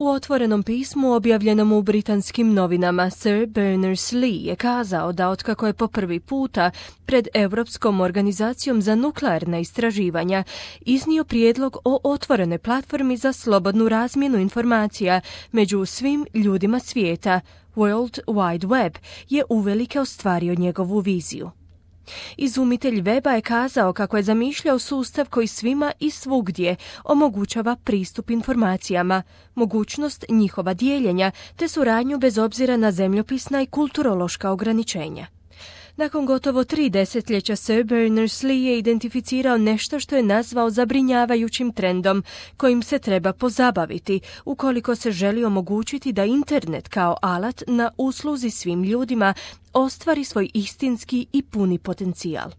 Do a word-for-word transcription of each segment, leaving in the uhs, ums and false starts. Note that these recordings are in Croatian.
U otvorenom pismu objavljenom u britanskim novinama Sir Berners-Lee je kazao da otkako je po prvi puta pred Europskom organizacijom za nuklearna istraživanja iznio prijedlog o otvorenoj platformi za slobodnu razmjenu informacija među svim ljudima svijeta, World Wide Web, je uvelike ostvario njegovu viziju. Izumitelj weba je kazao kako je zamišljao sustav koji svima i svugdje omogućava pristup informacijama, mogućnost njihova dijeljenja te suradnju bez obzira na zemljopisna i kulturološka ograničenja. Nakon gotovo tri desetljeća Sir Berners-Lee je identificirao nešto što je nazvao zabrinjavajućim trendom kojim se treba pozabaviti ukoliko se želi omogućiti da internet kao alat na usluzi svim ljudima ostvari svoj istinski i puni potencijal.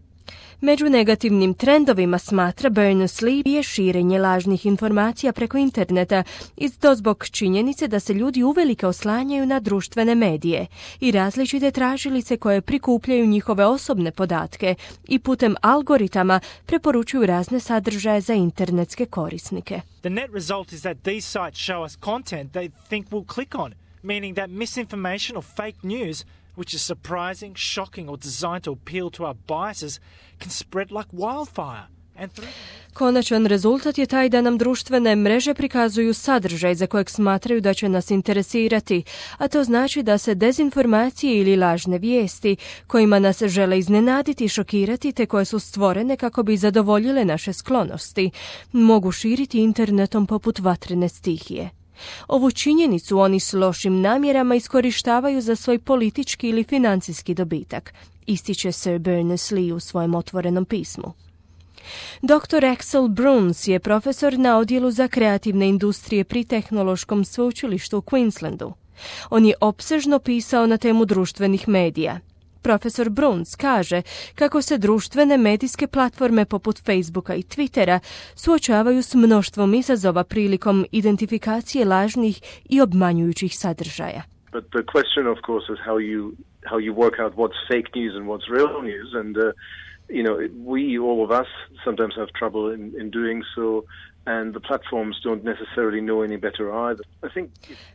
Među negativnim trendovima, smatra Berners-Lee, je širenje lažnih informacija preko interneta i to zbog činjenice da se ljudi uvelike oslanjaju na društvene medije i različite tražilice koje prikupljaju njihove osobne podatke i putem algoritama preporučuju razne sadržaje za internetske korisnike. The net result is that these sites show us content they think we'll click on, meaning that misinformation or fake news, which is surprising, shocking, or designed to appeal to our biases, can spread like wildfire. Konačan rezultat je taj da nam društvene mreže prikazuju sadržaj za kojeg smatraju da će nas interesirati, a to znači da se dezinformacije ili lažne vijesti, kojima nas žele iznenaditi i šokirati te koje su stvorene kako bi zadovoljile naše sklonosti, mogu širiti internetom poput vatrene stihije. Ovu činjenicu oni s lošim namjerama iskorištavaju za svoj politički ili financijski dobitak, ističe Sir Berners-Lee u svojem otvorenom pismu. doktor Axel Bruns je profesor na odjelu za kreativne industrije pri Tehnološkom sveučilištu u Queenslandu. On je opsežno pisao na temu društvenih medija. Profesor Bruns kaže kako se društvene medijske platforme poput Facebooka i Twittera suočavaju s mnoštvom izazova prilikom identifikacije lažnih i obmanjujućih sadržaja. But the question, of course, is how you how you work out what's fake news and what's real news, and uh, you know, we all of us sometimes have trouble in, in doing so. And the platforms don't necessarily know any better either. I think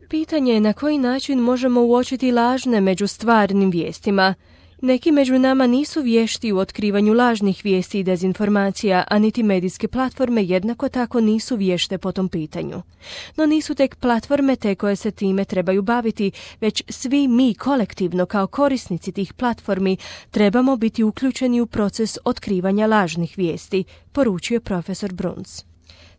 Pitanje je na koji način možemo uočiti lažne među stvarnim vijestima. Neki među nama nisu vješti u otkrivanju lažnih vijesti i dezinformacija, a niti medijske platforme jednako tako nisu vješte po tom pitanju. No nisu tek platforme te koje se time trebaju baviti, već svi mi kolektivno kao korisnici tih platformi trebamo biti uključeni u proces otkrivanja lažnih vijesti, poručuje profesor Bruns.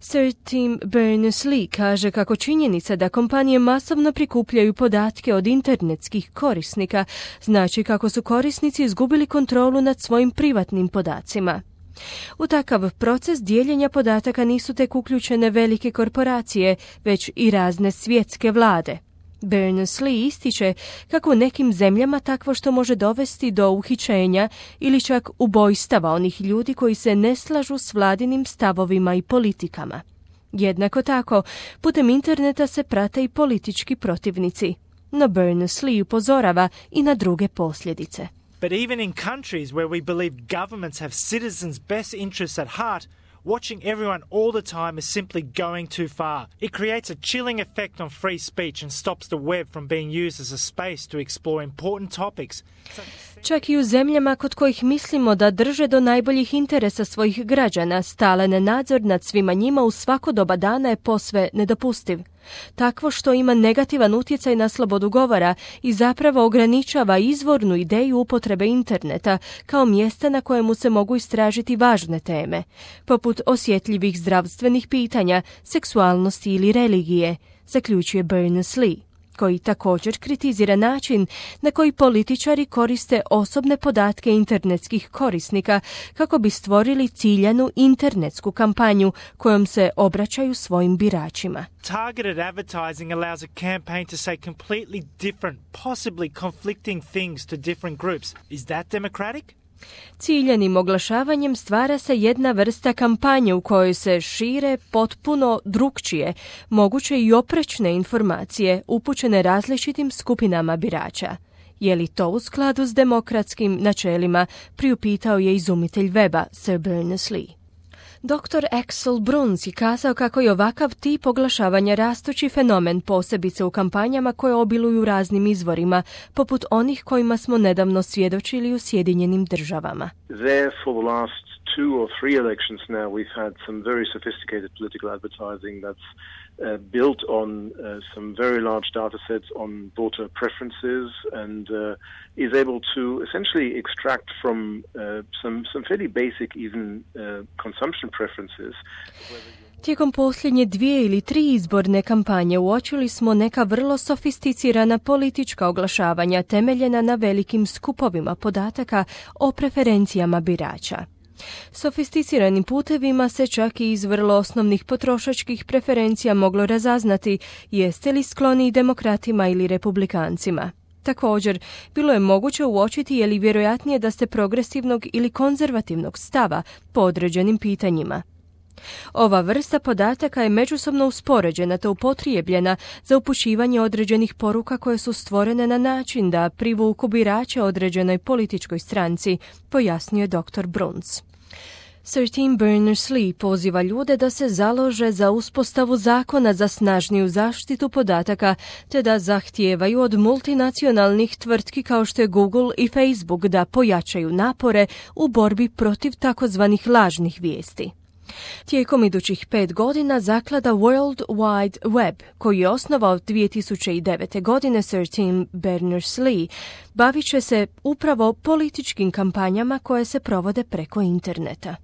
Sir Tim Berners-Lee kaže kako činjenica da kompanije masovno prikupljaju podatke od internetskih korisnika znači kako su korisnici izgubili kontrolu nad svojim privatnim podacima. U takav proces dijeljenja podataka nisu tek uključene velike korporacije, već i razne svjetske vlade. Berners-Lee ističe kako u nekim zemljama takvo što može dovesti do uhićenja ili čak ubojstava onih ljudi koji se ne slažu s vladinim stavovima i politikama. Jednako tako, putem interneta se prate i politički protivnici. No Berners-Lee upozorava i na druge posljedice. But even in countries where we believe governments have citizens' best interests at heart, watching everyone all the time is simply going too far. It creates a chilling effect on free speech and stops the web from being used as a space to explore important topics. Čak i u zemljama kod kojih mislimo da drže do najboljih interesa svojih građana, stalan nadzor nad svima njima u svako doba dana je posve nedopustiv. Takvo što ima negativan utjecaj na slobodu govora i zapravo ograničava izvornu ideju upotrebe interneta kao mjesta na kojemu se mogu istražiti važne teme, poput osjetljivih zdravstvenih pitanja, seksualnosti ili religije, zaključuje Berners-Lee, koji također kritizira način na koji političari koriste osobne podatke internetskih korisnika kako bi stvorili ciljanu internetsku kampanju kojom se obraćaju svojim biračima. Targeted advertising allows a campaign to say completely different, possibly conflicting things to different groups. Is that democratic? Ciljanim oglašavanjem stvara se jedna vrsta kampanje u kojoj se šire potpuno drukčije, moguće i oprečne informacije upućene različitim skupinama birača. Je li to u skladu s demokratskim načelima, priupitao je izumitelj weba Sir Berners-Lee. doktor Axel Bruns je kazao kako je ovakav tip oglašavanja rastući fenomen, posebice u kampanjama koje obiluju raznim izvorima, poput onih kojima smo nedavno svjedočili u Sjedinjenim državama. There for the last two or three elections now we've had some very sophisticated political advertising that's uh, built on uh, some very large data sets on voter preferences and uh, is able to essentially extract from uh, some, some fairly basic even uh, consumption preferences. Tijekom posljednje dvije ili tri izborne kampanje uočili smo neka vrlo sofisticirana politička oglašavanja temeljena na velikim skupovima podataka o preferencijama birača. Sofisticiranim putevima se čak i iz vrlo osnovnih potrošačkih preferencija moglo razaznati jeste li skloni demokratima ili republikancima. Također, bilo je moguće uočiti je li vjerojatnije da ste progresivnog ili konzervativnog stava po određenim pitanjima. Ova vrsta podataka je međusobno uspoređena te upotrijebljena za upućivanje određenih poruka koje su stvorene na način da privuku birače određenoj političkoj stranci, pojasnio je doktor Bruns. Tim Berners-Lee poziva ljude da se založe za uspostavu zakona za snažniju zaštitu podataka te da zahtijevaju od multinacionalnih tvrtki kao što je Google i Facebook da pojačaju napore u borbi protiv takozvanih lažnih vijesti. Tijekom idućih pet godina zaklada World Wide Web, koju je osnovao dvije tisuće devete. godine Sir Tim Berners-Lee, bavit će se upravo političkim kampanjama koje se provode preko interneta.